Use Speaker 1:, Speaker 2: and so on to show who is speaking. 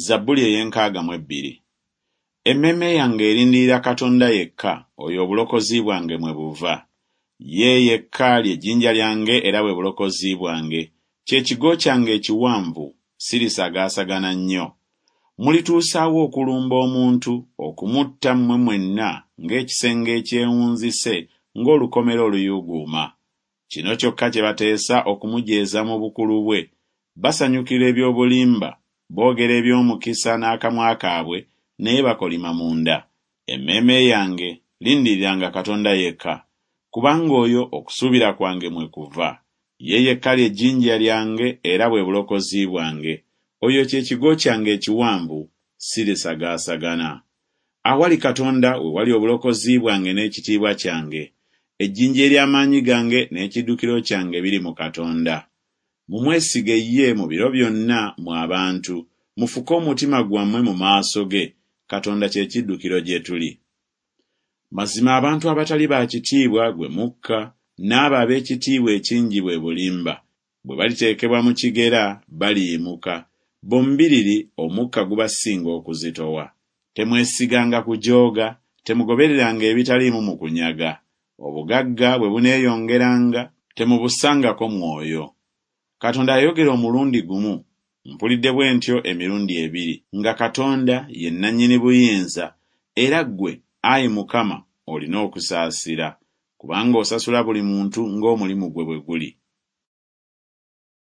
Speaker 1: Zabbuli ey'enkaaga mu ebbiri. Emmeeme yange erindirira Katonda yekka, oyo obulokozi bwange mwe buva. Ye yekka lye jjinja lyange era bwe bulokozi bwange, kye kigo kyange ekiwanvu, sirisagaasagana nnyo. Mulituusa wa okulumba omuntu, okumutta mmwe mwenna ng'ekisenge ekyewunzise, ng'olukomera oluyuuguuma? Kino kyokka kye bateesa okumujeeza mu bukulu bwe, basanyukira eby'obulimba, boogera eby'omukisa n'akamwa kaabwe, naye bakolima munda. Emmeeme yange, lindiriranga Katonda yekka, kubanga oyo okusuubira kwange mwe kuva. Ye yekka lye jjinja lyange era bwe bulokozi bwange, oyo kye kigo kyange ekiwanvu, sirisagaasagana. Awali Katonda we wali obulokozi bwange n'ekitiibwa kyange. Ejjinja ery'amaanyi gange n'ekiddukiro kyange biri mu Katonda. Mumwesige ye mu biro byonna, mmwe abantu, mufuke omutima gwammwe mu maaso ge, Katonda kye kiddukiro gye tuli. Mazima abantu abatali ba kitiibwa gwe mukka, n'abo ab'ekitiibwa ekingi bwe bulimba. Bwe baliteekebwa mu kigera, baliyimuka, bombiriri omukka gubasinga okuzitowa. Temwesiganga kujooga, temugobereranga ebitaliimu mu kunyaga. Obugagga bwe buneeyongeranga, temubussangako mwoyo. Katonda yayogera omulundi gumu, mpulidde bwe ntyo emirundi ebiri, nga Katonda ye nnannyini buyinza, era ggwe, ayi Mukama, olina okusaasira, kubanga osasula buli muntu ng'omulimu gwe bwe guli.